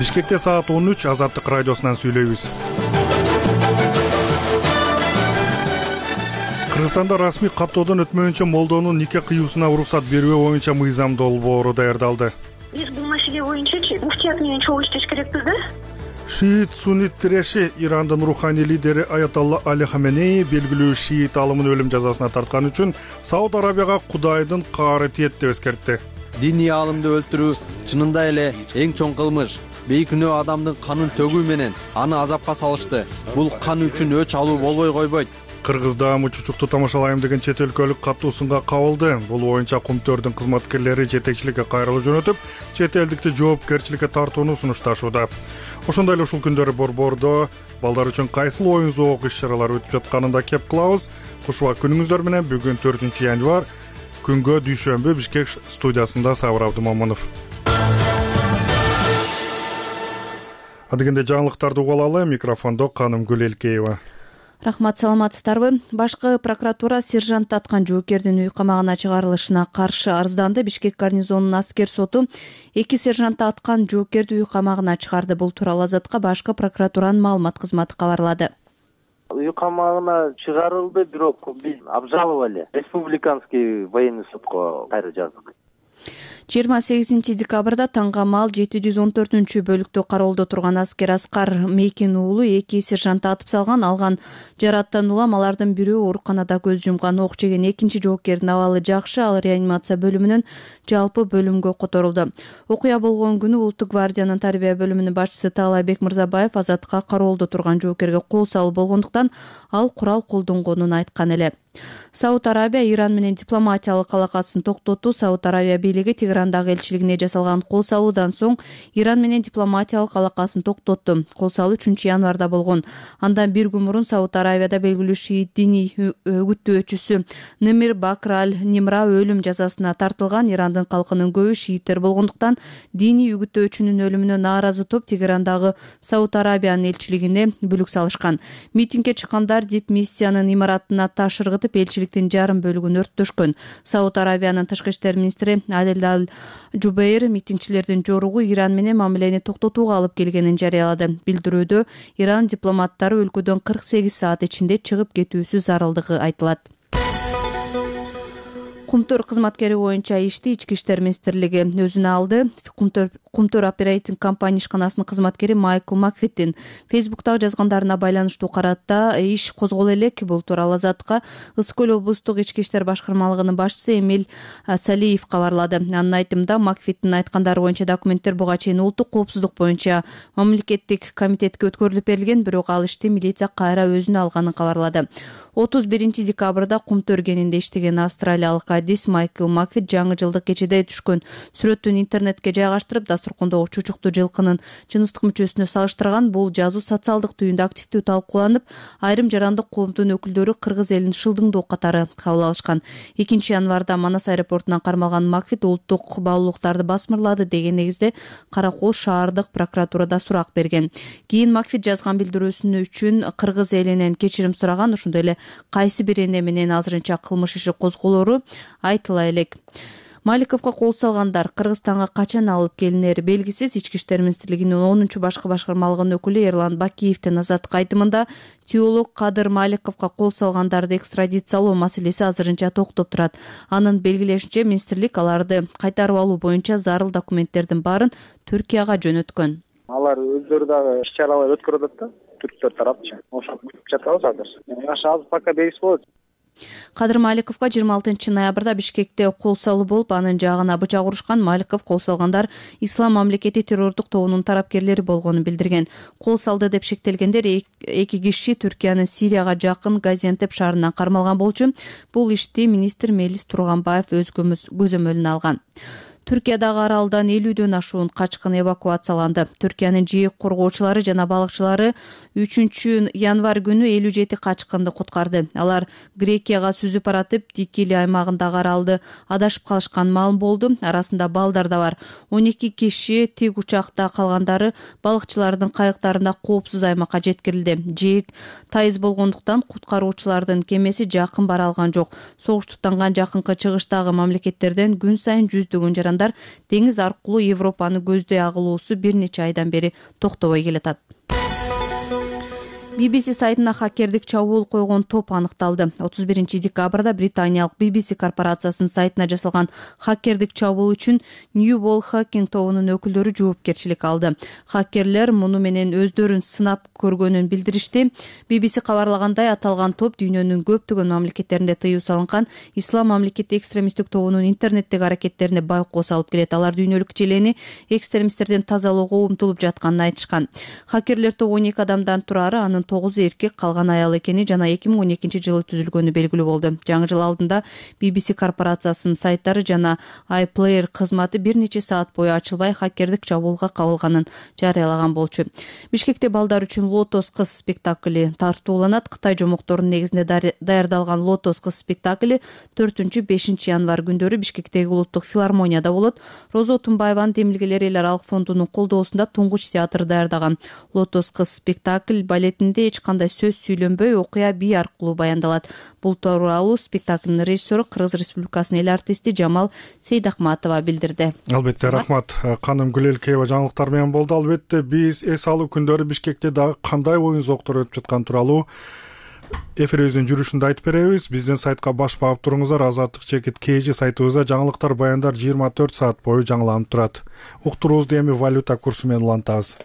Бишкекте саат 13 Азаттык радиосунан сүйлөйбүз. Кыргызстанда расмий каттоодон өтмөйүнчө молдонун нике кыюусуна уруксат берүү боюнча мыйзам долбоору даярдалды. Биз бул маселе боюнча муфтият менен чогуу иштеш керекпиз да? Шиит суннит тиреши Ирандын руханий лидери Аятолла Али Хаменеи белгилүү шиит алымын өлүм жазасына тарткан үчүн Сауд Арабияга Кудайдын каары тиет деп эскертти. Диний аалымды өлтүрүү чынында эле эң чоң кылмыш. Бейкүнөө адамдын канын төгүү менен аны азапка салышты. Бул кан үчүн өч алуу болбой койбойт. Кыргызда мучучукту тамашалайм деген чет өлкөлүк каттуусунга кабылды. Бул боюнча Кумтөрдүн кызматкерлери жетекчиликке кайрылуу жөнөтүп, чет элдикти жоопкерчиликке тартууну сунушташууда. Ошондой эле ушул күндөрү борбордо балдар үчүн кайсыл оюн зоок иш-чаралар өтүп жатканын да кеп кылабыз. Кушубак күнүңүздөр менен бүгүн 4-январь күнгө дүйшөмбү Бишкек студиясында Сабыр Абдымомунов. Адегенде жаңылыктарды угуп алалы. Микрофондо Канымгүл Элкеева. Рахмат, саламатсыздарбы? Башкы прокуратура сержантты аткан жоокердин үй камагына чыгарылышына каршы арызданды. Бишкек гарнизонунун аскер соту 2 сержантты аткан жоокерди үй камагына чыгарды. Бул тууралуу Азатка башкы прокуратуранын маалымат кызматы кабарлады. Үй камагына чыгарылды, бирок биз обжаловали. Республиканский военный сотко кайра жаздык. 28 декабрда таңгамал 714-бөлүктө кароолдо турган аскер Аскар Мейкин уулу 2 сержантты атып салган. Алган жараттан улам алардын бирөө ооруканада көз жумган. Ок жеген экинчи жоокердин абалы жакшы, ал реанимация бөлүмүнөн жалпы бөлүмгө которулду. Окуя болгон күнү Улуттук гвардиянын тарбия бөлүмүнүн башчысы Таалайбек Мырзабаев Азатка кароолдо турган жоокерге кол салуу болгондуктан ал курал колдонгонун айткан эле. Сауд Арабия Иран менен дипломатиялык алакасын токтотту. Сауд Арабия бийлиги Тегерандагы элчилигине жасалган кол салуудан соң Иран менен дипломатиялык алакасын токтотту. Кол салуу 3-январда болгон. Андан бир күн мурун Сауд Арабияда белгилүү шиит диний үгүттөөчүсү Немир Бакр аль-Нимра өлүм жазасына тартылган. Ирандын калкынын көбү шииттер болгондуктан диний үгүттөөчүнүн өлүмүнө нааразы топ Тегерандагы Сауд Арабиянын элчилигине бүлүк салышкан. Митингге чыккандар дипмиссиянын имаратына таш ыргытып, элчиликтин жарым бөлүгүн өрттөшкөн. Сауд Арабиянын тышкы иштер министри Адел аль-Жубейр митингчилердин жоругу Иран менен мамилени токтотууга алып келгенин жарыялады. Билдирүүдө Иран дипломаттары өлкөдөн 48 саат ичинде чыгып кетүүсү зарылдыгы айтылат. Кумтөр кызматкери боюнча ишти Ички иштер министрлиги өзүнө алды. Кумтөр оперейтинг компания ишканасынын кызматкери Майкл Макфиттин Фейсбуктагы жазгандарына байланыштуу каратта иш козголо элек. Бул тууралуу Азатка Ысык көл облустук ички иштер башкармалыгынын башчысы Эмиль Салиев кабарлады. Анын айтымында Макфиттин айткандары боюнча документтер буга чейин улуттук коопсуздук боюнча мамлекеттик комитетке өткөрүлүп берилген, бирок ал ишти милиция кайра өзүнө алганын кабарлады. 31 декабрда Кумтөр кенинде иштеген австралиялык адис Майкл Макфит жаңы жылдык кечеде түшкөн сүрөтүн интернетке жайгаштырып, дасторкондогу чучуктуу жылкынын жыныстык мүчөсүнө салыштырган. Бул жазуу социалдык түйүндө активдүү талкууланып, айрым жарандык коомдун өкүлдөрү кыргыз элин шылдыңдоо катары кабыл алышкан. 2-январда Манас аэропортунан кармалган Макфит улуттук баалуулуктарды басмырлады деген негизде Каракол шаардык прокуратурада сурак берген. Кийин Макфит жазган билдирүүсү үчүн кыргыз элинен кечирим сураган. Ошондой эле кайсы бир эне менен азырынча кылмыш иши козголору айтыла элек. Маликовго кол салгандар Кыргызстанга качан алып келинери белгисиз. Ички иштер министрлигинин 10-чу башкы башкармалыгынын өкүлү Эрлан Бакиевдин Азаттык айтымында теолог Кадыр Маликовго кол салгандарды экстрадициялоо маселеси азырынча токтоп турат. Анын белгилешинче, министрлик аларды кайтарып алуу боюнча зарыл документтердин баарын Түркияга жөнөткөн. Алар өздөрү дагы иш-чаралар өткөрүп атат да, түрктөр тарапча. Ошону күтүп жатабыз азыр. Азыр пока белгисиз болот. Кадыр Маликовго 26 ноябрда Бишкекте кол салуу болуп, анын жаагына бычак урушкан. Маликов кол салгандар Ислам мамлекети террордук тобунун тарапкерлери болгонун билдирген. Кол салды деп шектелгендер 2 киши Түркиянын Сирияга жакын Газиантеп шаарынан кармалган болчу. Бул ишти министр Мелис Турганбаев өз көзөмөлүнө алган. Түркиядагы аралдан 50дөн ашуун качкын эвакуацияланды. Түркиянын жээк коргоочулары жана балыкчылары 3-январь күнү 57 качкынды куткарды. Алар Грекияга сүзүп баратып, Дикили аймагындагы аралды адашып калышкан маалым болду. Арасында балдар да бар. 12 киши тик учакта калгандары балыкчылардын кайыктарында коопсуз аймакка жеткирилди. Жээк тайыз болгондуктан куткаруучулардын кемеси жакын бара алган жок. Согуш туттанган жакынкы чыгыштагы мамлекеттерден күн сайын жүздөгөн жаран кыргызстандар деңиз аркылуу Европаны көздөй агылуусу бир нече айдан бери токтобой келатат. BBC сайтына хакердик чабуул койгон топ аныкталды. 31 декабрда британиялык BBC корпорациясынын сайтына жасалган хакердик чабуул үчүн New Wall Hacking тобунун өкүлдөрү жоопкерчилик алды. Хакерлер муну менен өздөрүн сынап көргөнүн билдиришти. BBC кабарлагандай, аталган топ дүйнөнүн көптөгөн мамлекеттеринде тыюу салынган ислам мамлекети экстремисттик тобунун интернеттеги аракеттерине байкоо салып келет. Алар дүйнөлүк желени экстремисттерден тазалоого умтулуп жатканын айтышкан. Хакерлер тобу 12 адамдан турары, анын 9 эркек, калган аял экени жана 2012 жылы түзүлгөнү белгилүү болду. Жаңы жыл алдында BBC корпорациясынын сайттары жана iPlayer кызматы бир нече саат бою ачылбай хакердик чабуулга кабылганын жарыялаган болчу. Бишкекте балдар үчүн Лотос кыз спектакли тартууланат. Кытай жомокторунун негизинде даярдалган Лотос кыз спектакли 4-5 январь күндөрү Бишкектеги улуттук филармонияда болот. Розо Тумбаеванын Демилгелер эл аралык фондунун колдоосунда Туңгуч театры даярдаган Лотос кыз спектакль балетинде эч кандай сөз сүйлөнбөй, окуя бий аркылуу баяндалат. Бул тууралуу спектаклдын режиссеру Кыргыз Республикасынын эл артисти Жамал Сейдахматова билдирди. Албетте, рахмат. Каным Гүлелкеева жаңылыктар менен болду. Албетте, биз эс алуу күндөрү Бишкекте дагы кандай оюн зоктор өтүп жаткан тууралуу эфирибиздин жүрүшүндө айтып беребиз. Биздин сайтка баш багып туруңуздар. Азаттык чекит KG сайтыбызда жаңылыктар, баяндар 24 саат бою жаңыланып турат. Уктуруубузду эми валюта курсу менен улантабыз.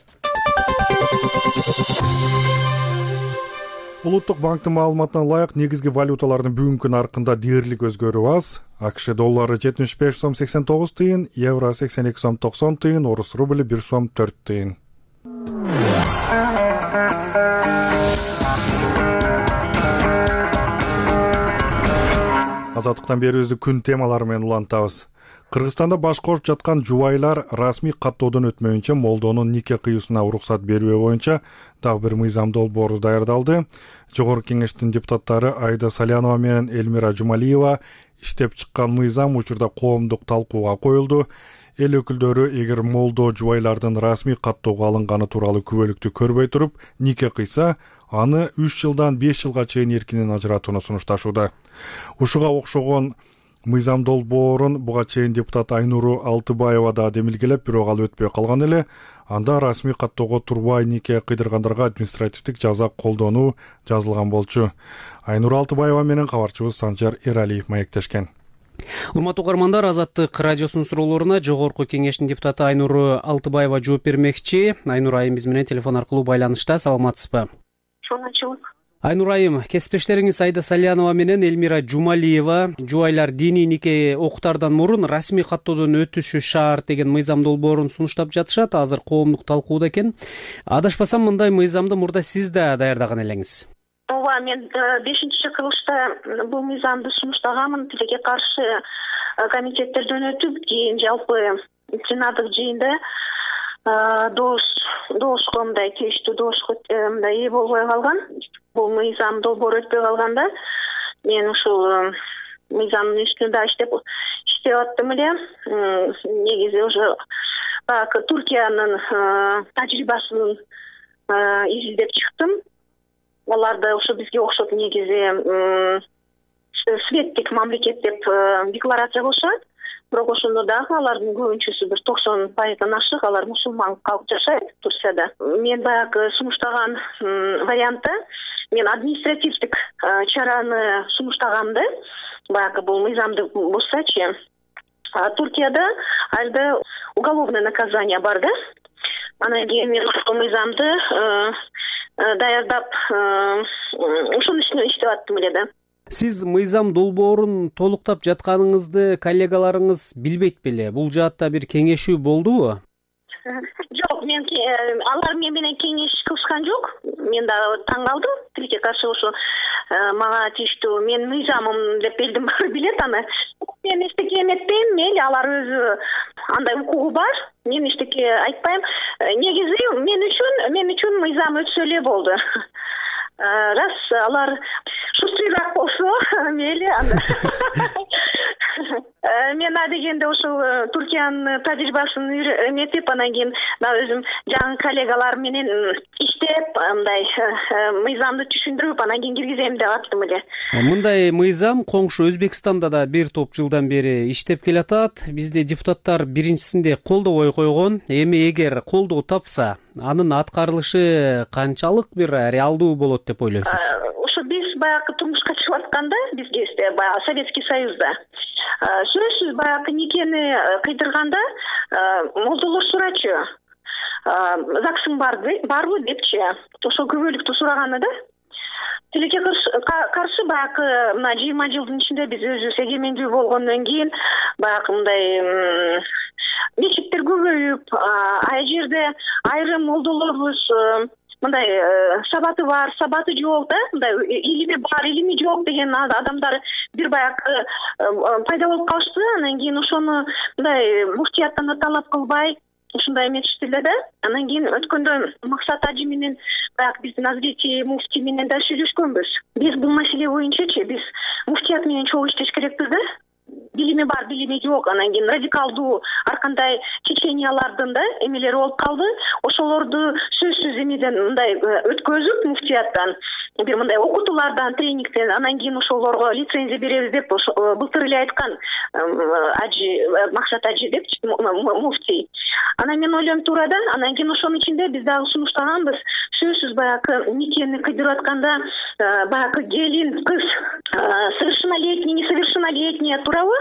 Улуттук банктын маалыматына ылайык, негизги валюталардын бүгүнкү наркында дээрлик өзгөрүү аз. АКШ доллары 75 сом 89 тыйын, евро 82 сом 90 тыйын, орус рубли 1 сом 4 тыйын. Азаттыктан берүүбүздү күн темалары менен улантабыз. Кыргызстанда баш кошуп жаткан жубайлар расмий каттоодон өтмөйүнчө молдонун нике кыюусуна уруксат берүү боюнча дагы бир мыйзам долбоору даярдалды. Жогорку кеңештин депутаттары Айда Салянова менен Элмира Жумалиева иштеп чыккан мыйзам учурда коомдук талкууга коюлду. Эл өкүлдөрү эгер молдо жубайлардын расмий каттоого алынганы тууралуу күбөлүктү көрбөй туруп нике кыйса, аны 3 жылдан 5 жылга чейин эркинен ажыратууну сунушташууда. Ушуга окшогон мыйзам долбоорун буга чейин депутат Айнуру Алтыбаева да демилгелеп, бирок ал өтпөй калган эле. Анда расмий каттоого турбай нике кыйдыргандарга административдик жаза колдонуу жазылган болчу. Айнуру Алтыбаева менен кабарчыбыз Санжар Эралиев маектешкен. Урматтуу угармандар, Азаттык радиосунун суроолоруна жогорку кеңештин депутаты Айнуру Алтыбаева жооп бермекчи. Айнур айым биз менен телефон аркылуу байланышта. Саламатсызбы? Саламатчылык. Айнур айым, кесиптештериңиз Айда Салянова менен Элмира Жумалиева жубайлар диний нике окуттардан мурун расмий каттоодон өтүшү шарт деген мыйзам долбоорун сунуштап жатышат. Азыр коомдук талкууда экен. Адашпасам, мындай мыйзамды мурда сиз да даярдаган элеңиз. Ооба, мен 5-кылышта бул мыйзамды сунуштаганмын. Тилекке каршы комитеттерден өтүп, кийин жалпы пленардык жыйында доошко мындай тийиштүү доошко мындай ээ болбой калган. Бул мыйзам долбоор өтпөй калганда мен ушул мыйзамдын үстүндө иштеп аттым эле. Негизи уже Туркиянын тажрыйбасын изилдеп чыктым. Аларда ошо бизге окшоп негизи светтик мамлекет деп декларация кылышат. Бирок ошондо дагы алардын көбүнчөсү бир 90% ашык алар мусулман калып жашайт Турцияда. Мен баягы сунуштаган вариантта мен административдик чараны сунуштаганды, баягы бул мыйзамды бузсачы. Туркияда алда уголовное наказание бар да. Анан кийин мен ушул мыйзамды даярдап ошонун үстүнө иштеп аттым эле да. Сиз мыйзам долбоорун толуктап жатканыңызды коллегаларыңыз билбейт беле? Бул жаатта бир кеңешүү болдубу? Жок, алар менен кеңеш кылышкан жок. Мен да таң калдым. Тилекке каршы ошо мага тийиштүү мен мыйзамым деп элдин баары билет аны. Мен эчтеке эметпейм, мейли алар өзү андай укугу бар. Мен эчтеке айтпайм. Негизи мен үчүн мыйзам өтсө эле болду. Раз алар шустрыйраак болсо, мейли анда. Мен адегенде ошол Туркиянын тажрыйбасын эметип, анан кийин да өзүм жаңы коллегалар менен иштеп деп мындай мыйзамды түшүндүрүп анан кийин киргизем деп аттым эле. Мындай мыйзам коңшу Өзбекстанда да бир топ жылдан бери иштеп келатат. Бизде депутаттар биринчисинде колдобой койгон. Эми эгер колдоо тапса, анын аткарылышы канчалык бир реалдуу болот деп ойлойсуз? Ошо биз баягы турмушка чыгып атканда бизге баягы Советский Союзда сөзсүз баягы никени кыйдырганда молдолор сурачу. ЗАГСың барбы депчи. Ошол күбөлүктү сураганы да. Тилекке каршы баягы мына 20 жылдын ичинде биз өзүбүз эгемендүү болгондон кийин баягы мындай мечиттер көбөйүп, ай жерде айрым молдолорубуз мындай сабаты бар, сабаты жок да, мындай илими бар, илими жок деген адамдар бир баягы пайда болуп калышты. Анан кийин ошону мындай муфтияттан да талап кылбай ушундай эметиштилер да. Анан кийин өткөндө Максат ажы менен баягы биздин Азбеки муфтий менен да сүйлөшкөнбүз. Биз бул маселе боюнчачы биз муфтият менен чогуу иштеш керекпиз да. Билими бар, билими жок. Анан кийин радикалдуу ар кандай течениялардын да эмелери болуп калды. Ошолорду сөзсүз эмеден мындай өткөзүп муфтияттан бир мындай окутуулардан, тренингден анан кийин ошолорго лицензия беребиз деп былтыр эле айткан ажы Максат ажы деп муфтий. Анан мен ойлойм туура да. Анан кийин ошонун ичинде биз дагы сунуштаганбыз. Сөзсүз баягы никени кыйдырып атканда баягы келин, кыз совершеннолетний, несовершеннолетний туурабы?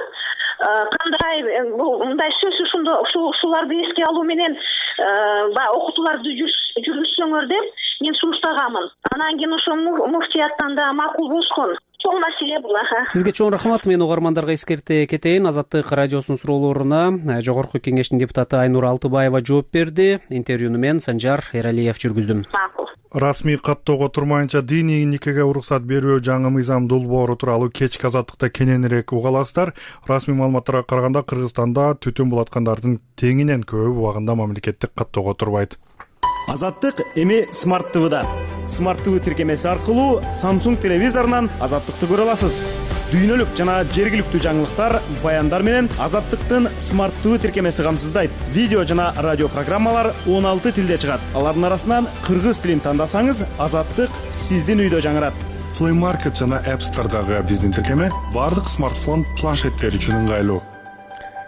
Кандай мындай сөзсүз ушуларды эске алуу менен баягы окутууларды жүргүзсөңөр деп мен сунуштаганмын. Анан кийин ошо муфтияттан да макул болушкон. Чоң маселе бул. Сизге чоң рахмат. Мен угармандарга эскерте кетейин. Азаттык радиосунун суроолоруна Жогорку Кеңештин депутаты Айнура Алтыбаева жооп берди. Интервьюну мен Санжар Эралиев жүргүздүм. Расмий каттоого турмайынча диний никеге уруксат берүү жаңы мыйзам долбоору тууралуу кечки азаттыкта кененирээк уга аласыздар. Расмий маалыматтарга караганда Кыргызстанда түтүн булаткандардын теңинен көбү убагында мамлекеттик каттоого турбайт. Азаттык эми Smart TV'да. Smart TV тиркемеси аркылуу Samsung телевизорунан Азаттыкты көрө аласыз. Дүйнөлүк жана жергиликтүү жаңылыктар, баяндар менен Азаттыктын Smart TV тиркемеси камсыздайт. Видео жана радио программалар 16 тилде чыгат. Алардын арасынан кыргыз тилин тандасаңыз, Азаттык сиздин үйдө жаңырат. Play Market жана App Store'дагы биздин тиркеме бардык смартфон, планшеттер үчүн ыңгайлуу.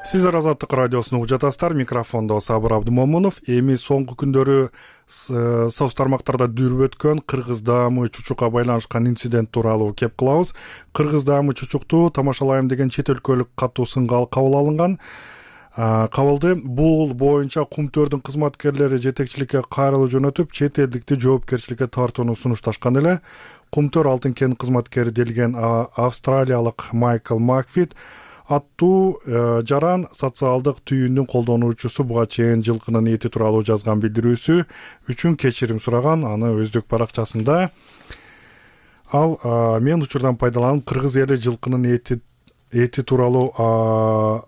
Сиздер Азаттык радиосун угуп жатасыздар. Микрофондо Сабыр Абдымомунов. Эми соңку күндөрү соц тармактарда дүрүп өткөн Кыргыз даамы чучукка байланышкан инцидент тууралуу кеп кылабыз. Кыргыз даамы чучукту тамашалайм деген чет өлкөлүк катуу сынга кабыл алынган. Кабылды. Бул боюнча Кумтөрдүн кызматкерлери жетекчиликке кайрылуу жөнөтүп, чет элдикти жоопкерчиликке тартууну сунушташкан эле. Кумтөр алтын кен кызматкери делген австралиялык Майкл Макфит аттуу жаран социалдык түйүндүн колдонуучусу буга чейин жылкынын эти тууралуу жазган билдирүүсү үчүн кечирим сураган. Аны өздүк баракчасында ал мен учурдан пайдаланып кыргыз эли жылкынын эти тууралуу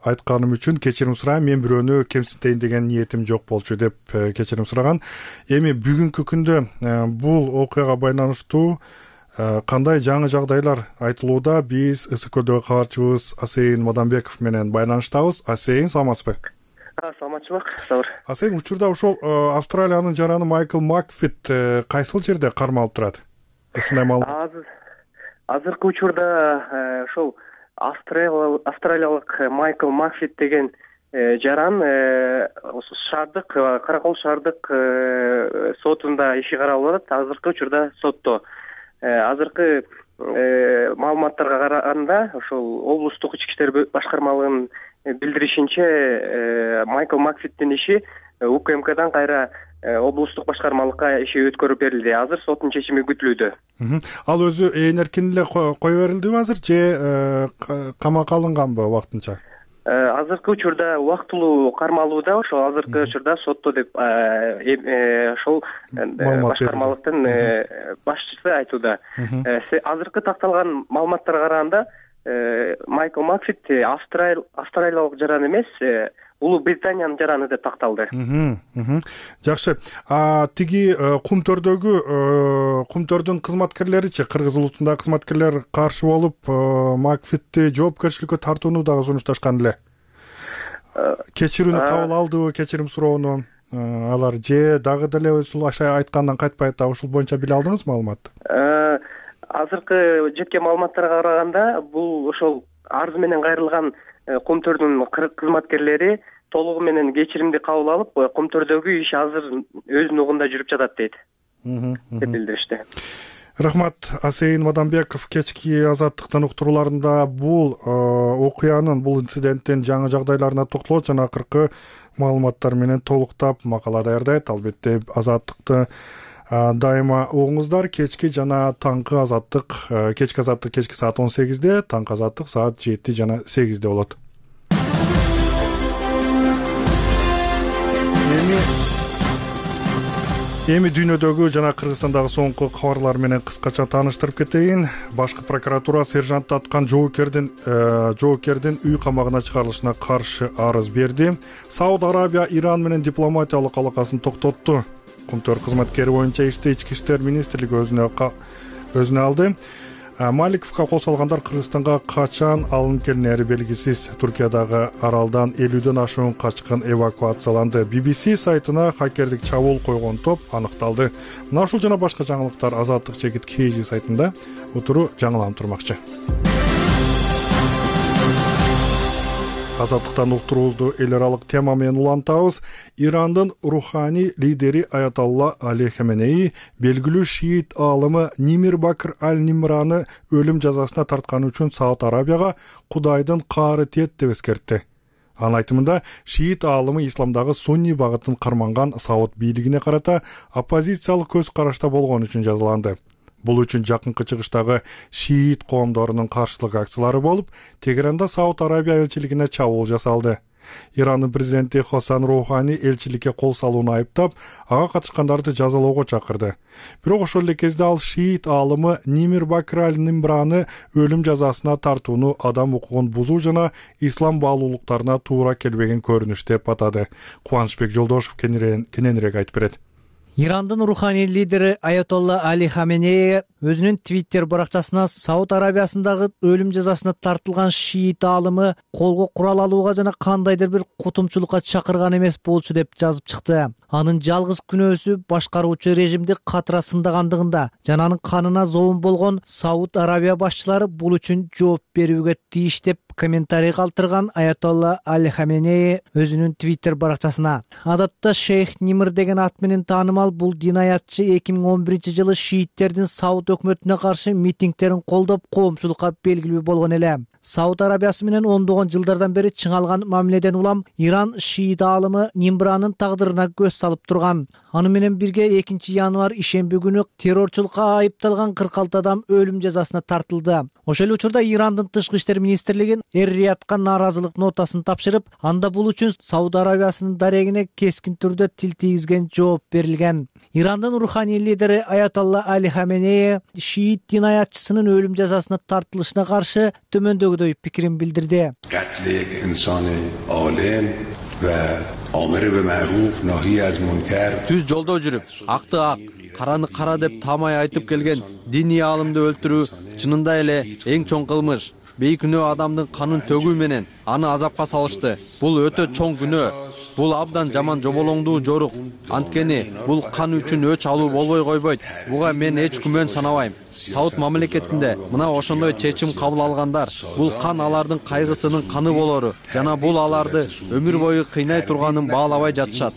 айтканым үчүн кечирим сурайм. Мен бирөөнү кемсинтейин деген ниетим жок болчу деп кечирим сураган. Эми бүгүнкү күндө бул окуяга байланыштуу кандай жаңы жагдайлар айтылууда? Биз ысык-көлдөгү кабарчыбыз Асейин Мадамбеков менен байланыштабыз. Асейин, саламатсызбы? Саламатчылык, Сабыр. Асейин, учурда ошол Австралиянын жараны Майкл Макфит кайсыл жерде кармалып турат? Ушундай маалымат. Азыркы учурда ошол австралиялык Майкл Макфит деген жаран шаардык Каракол шаардык сотунда иши каралып атат. Азыркы учурда сотто. Азыркы маалыматтарга караганда ошол облустук ички иштер башкармалыгынын билдиришинче Майкл Макфиттин иши УКМКдан кайра облустук башкармалыкка иши өткөрүп берилди. Азыр соттун чечими күтүлүүдө. Ал өзү эркин эле кое берилдиби азыр же камакка алынганбы вактынча? Азыркы учурда убактылуу кармалууда. Ошол азыркы учурда сотто деп ошол башкармалыктын башчысы айтууда. Азыркы такталган маалыматтарга караганда Майкл Макфит австралиялык жаран эмес, Улуу Британиянын жараны деп такталды. Жакшы. Тиги Кумтөрдүн кызматкерлеричи, кыргыз улутундагы кызматкерлер каршы болуп, Макфитти жоопкерчиликке тартууну дагы сунушташкан эле. Кечирүүнү кабыл алдыбы, кечирим суроону? алар же дагы деле ушул аша айткандан кайтпай атабы, ушул боюнча биле алдыңызбы маалыматты? Азыркы жеткен маалыматтарга караганда бул ошол арыз менен кайрылган Кумтөрдүн кызматкерлери толугу менен кечиримди кабыл алып, Кумтөрдөгү иш азыр өз нугунда жүрүп жатат дейт деп билдиришти. Рахмат. Асейин Мадамбеков кечки Азаттыктын уктурууларында бул окуянын, бул инциденттин жаңы жагдайларына токтолот жана акыркы маалыматтар менен толуктап макала даярдайт. Албетте Азаттыкты дайыма угуңуздар. Кечки жана таңкы Азаттык, кечки Азаттык кечки саат 18-де, таңкы Азаттык саат 7 жана 8-де болот. Эми дүйнөдөгү жана Кыргызстандагы соңку кабарлар менен кыскача тааныштырып кетейин. Башкы прокуратура сержантты аткан жоокердин үй камагына чыгарылышына каршы арыз берди. Сауд Арабия Иран менен дипломатиялык алакасын токтотту. Кумтөр кызматкери боюнча ишти Ички иштер министрлиги өзүнө алды. Маликовго кол салгандар Кыргызстанга качан алынып келинери белгисиз. Туркиядагы аралдан 50дөн ашуун качкын эвакуацияланды. BBC сайтына хакердик чабуул койгон топ аныкталды. Мына ушул жана башка жаңылыктар Азаттык Чекит KG сайтында утуру жаңыланып турмакчы. Азаттыктан уктуруубузду эл аралык тема менен улантабыз. Ирандын руханий лидери Аятолла Али Хаменеи белгилүү шиит аалымы Нимир Бакр аль-Нимраны өлүм жазасына тартканы үчүн Сауд Арабияга Кудайдын каары тиет деп эскертти. Анын айтымында шиит аалымы исламдагы сунни багытын карманган Сауд бийлигине карата оппозициялык көз карашта болгон үчүн жазаланды. Бул үчүн жакынкы чыгыштагы шиит коомдорунун каршылык акциялары болуп, Тегеранда Сауд Арабия элчилигине чабуул жасалды. Ирандын президенти Хасан Роухани элчиликке кол салууну айыптап, ага катышкандарды жазалоого чакырды. Бирок ошол эле кезде ал шиит аалымы Нимир Бакр аль-Нимраны өлүм жазасына тартууну адам укугун бузуу жана ислам баалуулуктарына туура келбеген көрүнүш деп атады. Кубанычбек Жолдошев кененирээк айтып берет. Ирандын руханий лидери Аятолла Али Хаменеи өзүнүн Twitter баракчасына Сауд Арабиясындагы өлүм жазасына тартылган шиит аалымы колго курал алууга жана кандайдыр бир кутумчулукка чакырган эмес болчу деп жазып чыкты. Анын жалгыз күнөөсү башкаруучу режимди катыра сындагандыгында жана анын канына зоомун болгон Сауд Арабия башчылары бул үчүн жооп берүүгө тийиш деп комментарий калтырган Аятолла Али Хаменеи өзүнүн Twitter баракчасына. Адатта Шейх Нимр деген ат менен таанымал бул динаятчы 2011-жылы шииттердин Сауд өкмөтүнө каршы митингтерин колдоп коомчулукка белгилүү болгон эле. Сауд Арабиясы менен ондогон жылдардан бери чыңалган мамиледен улам Иран шиит аалымы Нимранын тагдырына көз салып турган. Аны менен бирге 2 январь ишемби күнү террорчулукка айыпталган 46 адам өлүм жазасына тартылды. Ошол учурда Ирандын тышкы иштер министрлиги Эр-Риядка нааразылык нотасын тапшырып, анда бул үчүн Сауд Арабиясынын дарегине кескин түрдө тил тийгизген жооп берилген. Ирандын руханий лидери Аятолла Али Хаменеи шиит динаятчысынын өлүм жазасына тартылышына каршы төмөндөгүдөй пикирин билдирди. Түз жолдо жүрүп, акты ак, караны кара деп таамай айтып келген диний аалымды өлтүрүү чынында эле эң чоң кылмыш. Бейкүнөө адамдын канын төгүү менен аны азапка салышты. Бул өтө чоң күнөө. Бул абдан жаман жоболоңдуу жорук. Анткени бул кан үчүн өч алуу болбой койбойт. Буга мен эч күмөн санабайм. Сауд мамлекетинде мына ошондой чечим кабыл алгандар. Бул кан алардын кайгысынын каны болору жана бул аларды өмүр бою кыйнай турганын баалабай жатышат.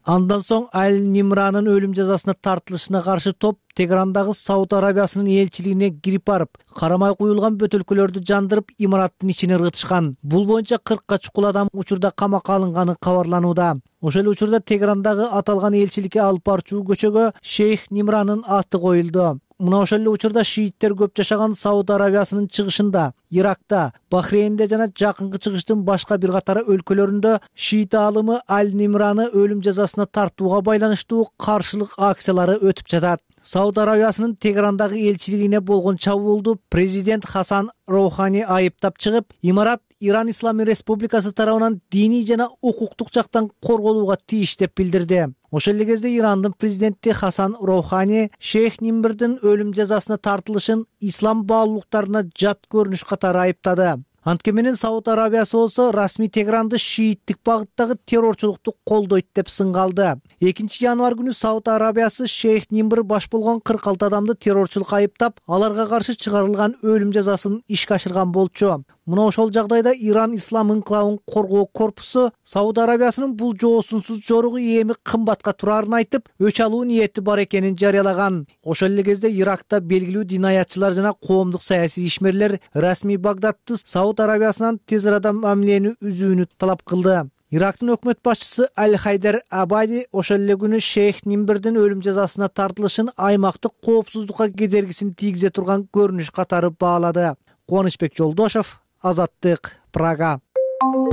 Андан соң Аль-Нимранын өлүм жазасына тартылышына каршы топ Тегерандагы Сауд Арабиясынын элчилигине кирип барып, карамай куюлган бөтөлкөлөрдү жандырып, имараттын ичине ыргытышкан. Бул боюнча 40га чукул адам учурда камакка алынганы кабарланууда. Ошол учурда Тегерандагы аталган элчиликке алып барчу көчөгө Шейх Нимранын аты коюлду. Мына ошол эле учурда шииттер көп жашаган Сауд Арабиясынын чыгышында, Иракта, Бахрейнде жана жакынкы чыгыштын башка бир катары өлкөлөрүндө шиит аалымы Аль-Нимраны өлүм жазасына тартууга байланыштуу каршылык акциялары өтүп жатат. Сауд Арабиясынын Тегерандагы элчилигине болгон чабуулду президент Хасан Роухани айыптап чыгып, имарат Иран Исламий Республикасы тарабынан диний жана укуктук жактан корголууга тийиш деп билдирди. Ошол эле кезде Ирандын президенти Хасан Роухани Шейх Нимрдин өлүм жазасына тартылышын ислам баалуулуктарына жат көрүнүш катары айыптады. Анткени менен Сауд Арабиясы болсо расмий Тегеранды шииттик багыттагы террорчулукту колдойт деп сынгалды. 2-январь күнү Сауд Арабиясы Шейх Нимбр баш болгон 46 адамды террорчулукка айыптап, аларга каршы чыгарылган өлүм жазасын ишке ашырган болчу. Мына ошол жагдайда Иран ислам инкилабын коргоо корпусу Сауд Арабиясынын бул жоосунсуз жоругу эми кымбатка турарын айтып, өч алуу ниети бар экенин жарыялаган. Ошол эле кезде Иракта белгилүү динаятчылар жана коомдук саясий ишмерлер расмий Багдадты Сауд Арабиясынан тез арада мамилени үзүүнү талап кылды. Ирактын өкмөт башчысы Аль-Хайдар Абади ошол эле күнү Шейх Нимбрдин өлүм жазасына тартылышын аймактык коопсуздукка кедергисин тийгизе турган көрүнүш катары баалады. Кубанычбек Жолдошов, Азаттык, Прага.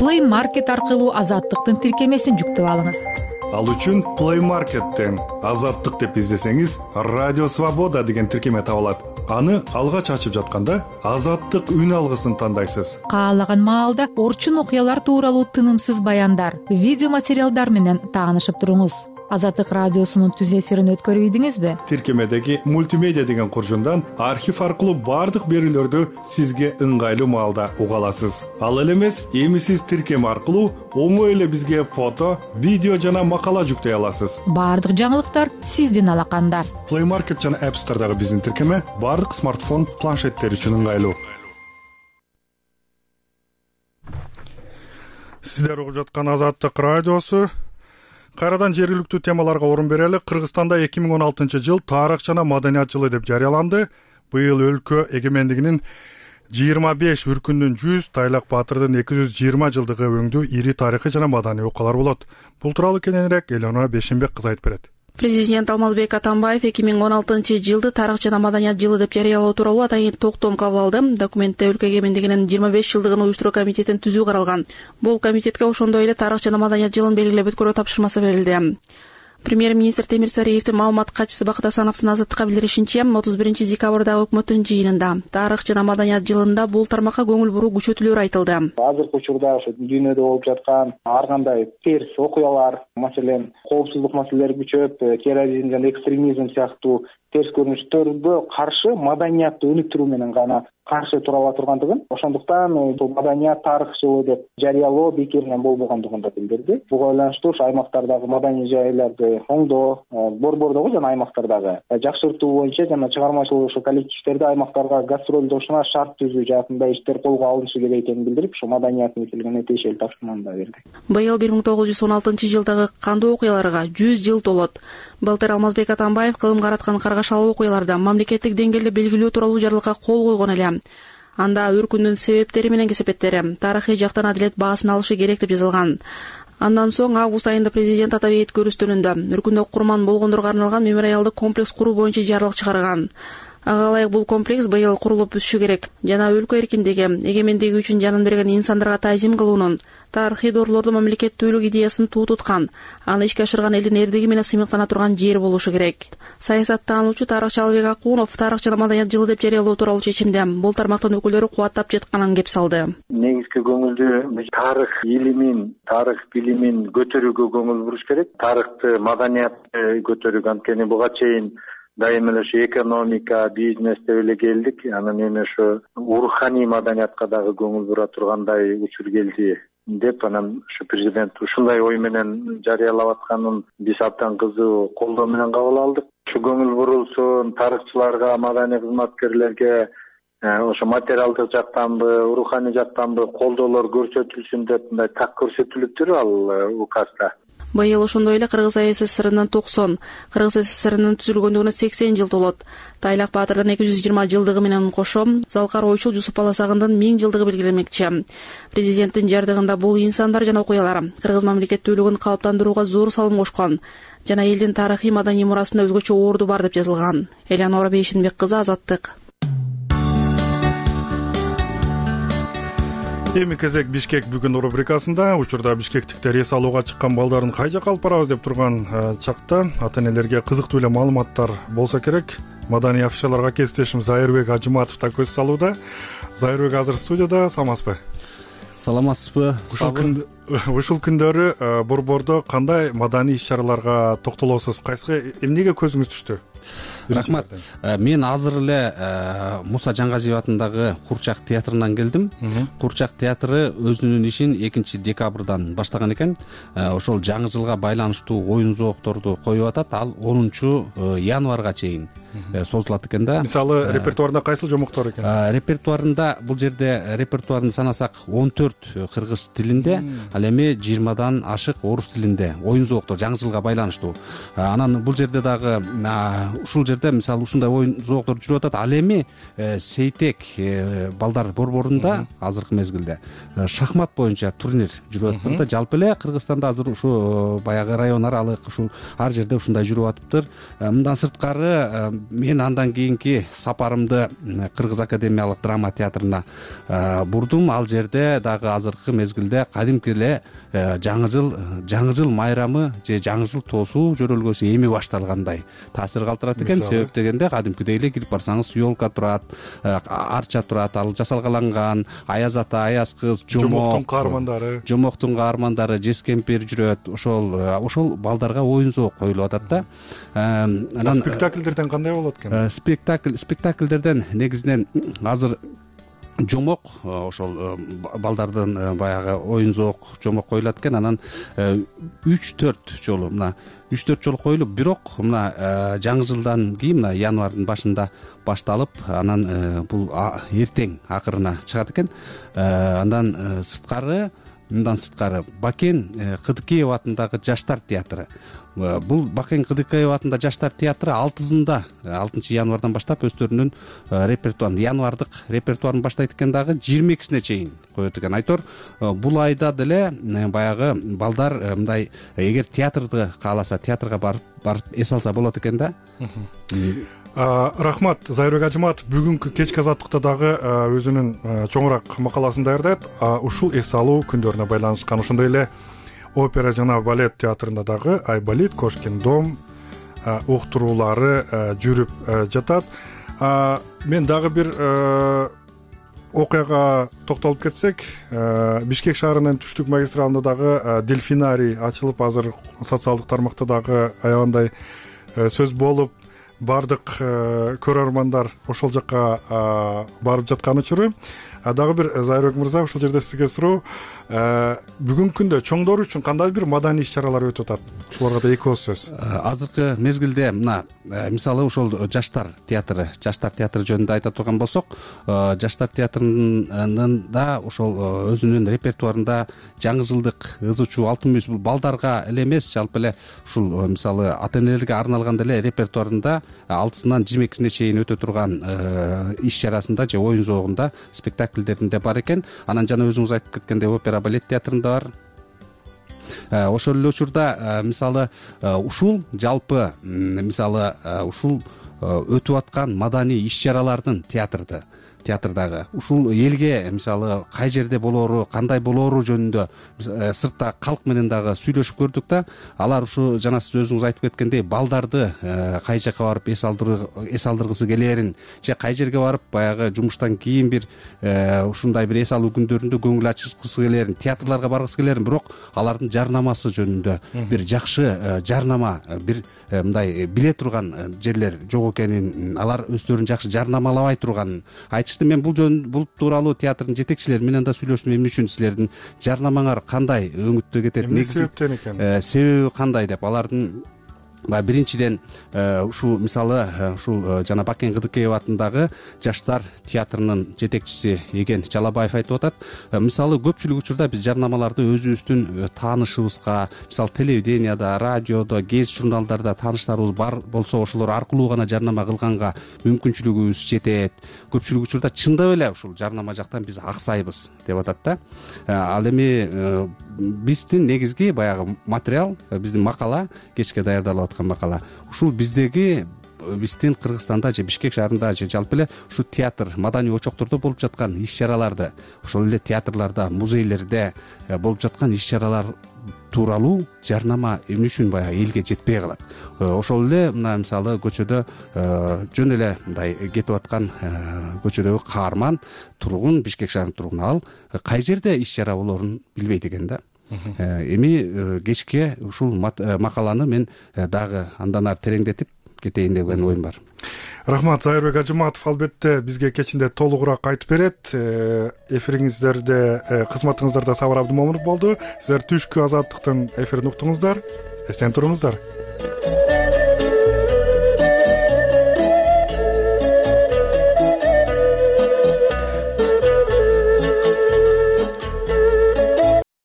Play Market аркылуу Азаттыктын тиркемесин жүктөп алыңыз. Ал үчүн Play Market'тен Азаттык деп издесеңиз, Радио Свобода деген тиркеме табылат. Аны алгач ачып жатканда Азаттык үн алгысын тандайсыз. Каалаган маалда орчун окуялар тууралуу тынымсыз баяндар, видео материалдар менен таанышып туруңуз. Азаттык радиосунун түз эфирин өткөрүп ийдиңизби? Тиркемедеги мультимедиа деген куржундан архив аркылуу бардык берүүлөрдү сизге ыңгайлуу маалда уга аласыз. Ал эле эмес, эми сиз тиркеме аркылуу оңой эле бизге фото, видео жана макала жүктөй аласыз. Бардык жаңылыктар сиздин алаканда. Play Market жана App Store'дагы биздин тиркеме бардык смартфон, планшеттер үчүн ыңгайлуу. Сиздер угуп жаткан Азаттык радиосу. Кайрадан жергиликтүү темаларга орун берели. Кыргызстанда 2016 жыл тарых жана маданият жылы деп жарыяланды. Быйыл өлкө эгемендигинин 25 үркүндүн 100, Тайлак Баатырдын 220 жылдыгы өңдүү ири тарыхый жана маданий окуялар болот. Бул тууралуу кененирээк Элеонора Бешенбек кыз айтып берет. Президент Алмазбек Атамбаев 2016 жылды тарых жана маданият жылы деп жарыялоо тууралуу атайын токтом кабыл алды. Документте өлкө эгемендигинин 25 жылдыгын уюштуруу комитетин түзүү каралган. Бул комитетке ошондой эле тарых жана маданият жылын белгилеп өткөрүү тапшырмасы берилди. Премьер-министр Темир Сариевдин маалымат катчысы Бакыт Асановдун Азаттыкка билдиришинче, 31 декабрдагы өкмөттүн жыйынында тарых жана маданият жылында бул тармакка көңүл буруу күчөтүлөөр айтылды. Азыркы учурда ошо дүйнөдө болуп жаткан ар кандай терс окуялар, маселен, коопсуздук маселелери күчөп, терроризм жана экстремизм сыяктуу терс көрүнүштөргө каршы маданиятты өнүктүрүү менен гана каршы тура ала тургандыгын, ошондуктан бул маданият тарых жылы деп жарыялоо бекеринен болбогондугун да билдирди. Буга байланыштуу ушу аймактардагы маданий жайларды оңдоо, борбордогу жана аймактардагы жакшыртуу боюнча жана чыгармачылык ушу коллективдерди аймактарга гастролдошуна шарт түзүү жаатында иштер колго алынышы керек экенин билдирип, ушу маданият мекилигине тиешелүү тапшырманы да берди. Быйыл 1916 жылдагы кандуу окуяларга 100 жыл толот. Былтыр Алмазбек Атамбаев кылымга араткан каргашалуу окуяларда мамлекеттик деңгээлде белгилөө тууралуу жарлыкка кол койгон эле. Анда үркүндүн себептери менен кесепеттери, тарыхый жактан адилет баасын алышы керек деп жазылган. Андан соң август айында президент Атабек көрүстөрүндө үркүндө курман болгондорго арналган мемориалдык комплекс куруу боюнча жарлык чыгарган. Ага ылайык бул комплекс быйыл курулуп бүтүшү керек жана өлкө эркиндиги, эгемендиги үчүн жанын берген инсандарга таазим кылуунун, тарыхый дорлорду мамлекеттүүлүк идеясын туу туткан, аны ишке ашырган элдин эрдиги менен сыймыктана турган жер болушу керек. Саясаттануучу тарыхчы Албек Акунов тарых жана маданият жылы деп жарыялоо тууралуу чечимде бул тармактын өкүлдөрү кубаттап жатканын кеп салды. Негизги көңүлдү тарых илимин, тарых билимин көтөрүүгө көңүл буруш керек. Тарыхты, маданиятты көтөрүүгө, анткени буга чейин дайыма эле ушу экономика, бизнес деп эле келдик. Анан эми ушу руханий маданиятка дагы көңүл бура тургандай учур келди деп, анан ушу президент ушундай ой менен жарыялап атканын биз абдан кызуу колдоо менен кабыл алдык. Ушу көңүл бурулсун, тарыхчыларга, маданий кызматкерлерге ошо материалдык жактанбы, руханий жактанбы колдоолор көрсөтүлсүн деп мындай так көрсөтүлүптүр ал указда. Быйыл ошондой эле Кыргыз СССРнын 90, Кыргыз СССРнын түзүлгөндүгүнө 80 жыл толот. Тайлак Баатырдын 220 жылдыгы менен кошо Залкар Ойчул Жусуп Баласагындын 1000 жылдыгы белгиленмекчи. Президенттин жардыгында бул инсандар жана окуялар Кыргыз мамлекеттүүлүгүн калыптандырууга зор салым кошкон жана элдин тарыхый маданий мурасында өзгөчө орду бар деп жазылган. Элеонора Бейшенбек кызы, Азаттык. Эми кезек Бишкек бүгүн рубрикасында. Учурда бишкектиктер эс алууга чыккан балдарын кай жакка алып барабыз деп турган чакта ата-энелерге кызыктуу эле маалыматтар болсо керек. Маданий афишаларга кесиптешим Зайырбек Ажыматов да көз салууда. Зайырбек азыр студияда, саламатсызбы? Саламатсызбы? Ушул күндөрү борбордо кандай маданий иш-чараларга токтолосуз? Кайсыга эмнеге көзүңүз түштү? рахмат. Мен азыр эле Муса Жаңгазиев атындагы Курчак театрынан келдим. Курчак театры өзүнүн ишин 2 декабрдан баштаган экен. Ошол жаңы жылга байланыштуу оюн зоокторду коюп атат. Ал 10 январга чейин созулат экен да. Мисалы репертуарында кайсыл жомоктор экен? Репертуарында бул жерде репертуарын санасак 14 кыргыз тилинде, ал эми 20дан ашык орус тилинде оюн зооктор жаңы жылга байланыштуу. Анан бул жерде дагы ушул жерде мисалы ушундай оюн зооктор жүрүп атат. Ал эми Сейтек балдар борборунда азыркы мезгилде шахмат боюнча турнир жүрүп атыптыр да. Жалпы эле Кыргызстанда азыр ушу баягы район аралык ушул ар жерде ушундай жүрүп атыптыр. Мындан сырткары мен андан кийинки сапарымды Кыргыз академиялык драма театрына бурдум. Ал жерде дагы азыркы мезгилде кадимки эле жаңы жыл майрамы же жаңы жыл тоосу жөрөлгөсү эми башталгандай таасир калтырат экен. Себеп дегенде кадимкидей эле кирип барсаңыз ёлка турат, арча турат, ал жасалгаланган, аяз ата, аяз кыз, жомоктун каармандары, жез кемпир жүрөт. Ошол балдарга оюн зоок коюлуп атат да. Анан спектакльдерден кандай болот экен? Спектакльдерден негизинен азыр жомок, ошол балдардын баягы оюн зоок жомок коюлат экен. Анан 3-4 жолу коюлуп, бирок мына жаңы жылдан кийин мына январдын башында башталып, анан бул эртең акырына чыгат экен. Андан сырткары Бакен Кыдыкеев атындагы жаштар театры. Бул Бакен Кыдыкеев атында жаштар театры 6 январдан баштап өздөрүнүн репертуарын, январдык репертуарын баштайт экен, дагы 22-сине чейин коет экен. Айтор бул айда деле баягы балдар мындай эгер театрды кааласа, театрга барып эс алса болот экен да. Рахмат, Зайырбек Ажыматов бүгүнкү кечки азаттыкта дагы өзүнүн чоңураак макаласын даярдайт. Ушул эс алуу күндөрүнө байланышкан, ошондой эле опера жана балет театрында дагы Айболит, Кошкин дом уктуруулары жүрүп жатат. Мен дагы бир окуяга токтолуп кетсек, Бишкек шаарынын түштүк магистралында дагы дельфинарий ачылып, азыр социалдык тармакта дагы аябандай сөз болуп, бардык көрөрмандар ошол жакка барып жаткан учуру. Дагы бир Зайырбек мырза, ушул жерде сизге суроо, бүгүнкү күндө чоңдор үчүн кандай бир маданий иш-чаралар өтүп атат? Ушуларга да эки ооз сөз. Азыркы мезгилде мына мисалы ошол жаштар театры жөнүндө айта турган болсок, жаштар театрында ошол өзүнүн репертуарында жаңы жылдык ызычуу алтын мүйүз, бул балдарга эле эмес, жалпы эле ушул мисалы ата-энелерге арналган деле репертуарында 6-сынан 22-сине чейин өтө турган иш-чарасында же оюн зоогунда спектакльдеринде бар экен. Анан жана өзүңүз айтып кеткендей опера балет театрында бар. Ошол эле учурда мисалы ушул жалпы мисалы ушул өтүп аткан маданий иш-чаралардын театрдагы ушул элге мисалы кай жерде болоору, кандай болоору жөнүндө сыртта калк менен дагы сүйлөшүп көрдүк да. Алар ушу жана сиз өзүңүз айтып кеткендей балдарды кай жакка барып эс алдыргысы келээрин же кай жерге барып баягы жумуштан кийин бир ушундай бир эс алуу күндөрүндө көңүл ачышкысы келээрин, театрларга баргысы келээрин, бирок алардын жарнамасы жөнүндө бир жакшы жарнама, бир мындай биле турган жерлер жок экенин, алар өздөрүн жакшы жарнамалабай турганын айтышты. Мен бул тууралуу театрдын жетекчилери менен да сүйлөштүм. Эмне үчүн силердин жарнамаңар кандай өңүттө кетет, себептен экен, себеби кандай деп, алардын биринчиден ушул мисалы ушул жана Бакен Кыдыкеев атындагы жаштар театрынын жетекчиси Эген Жалабаев айтып атат. Мисалы көпчүлүк учурда биз жарнамаларды өзүбүздүн таанышыбызга, мисалы телевиденияда, радиодо, гез журналдарда тааныштарыбыз бар болсо, ошолор аркылуу гана жарнама кылганга мүмкүнчүлүгүбүз жетет. Көпчүлүк учурда чындап эле ушул жарнама жактан биз аксайбыз деп атат да. Ал эми биздин негизги баягы материал, биздин макала, кечке даярдалып аткан макала, ушул биздин Кыргызстанда же Бишкек шаарында же жалпы эле ушу театр, маданий очоктордо болуп жаткан иш-чараларды, ошол эле театрларда, музейлерде болуп жаткан иш-чаралар тууралуу жарнама эмне үчүн баягы элге жетпей калат. Ошол эле мына мисалы көчөдө жөн эле мындай кетип аткан көчөдөгү каарман тургун, Бишкек шаарынын тургуну, ал кай жерде иш-чара болоорун билбейт экен да. Эми кечке ушул макаланы мен дагы андан ары тереңдетип кетейин деген оюм бар. Рахмат. Зайырбек Ажыматов албетте бизге кечинде толугураак айтып берет. Эфириңиздерде кызматыңыздарда Сабыр Абдымомунов болду. Сиздер түшкү Азаттыктын эфирин уктуңуздар. Эстен туруңуздар.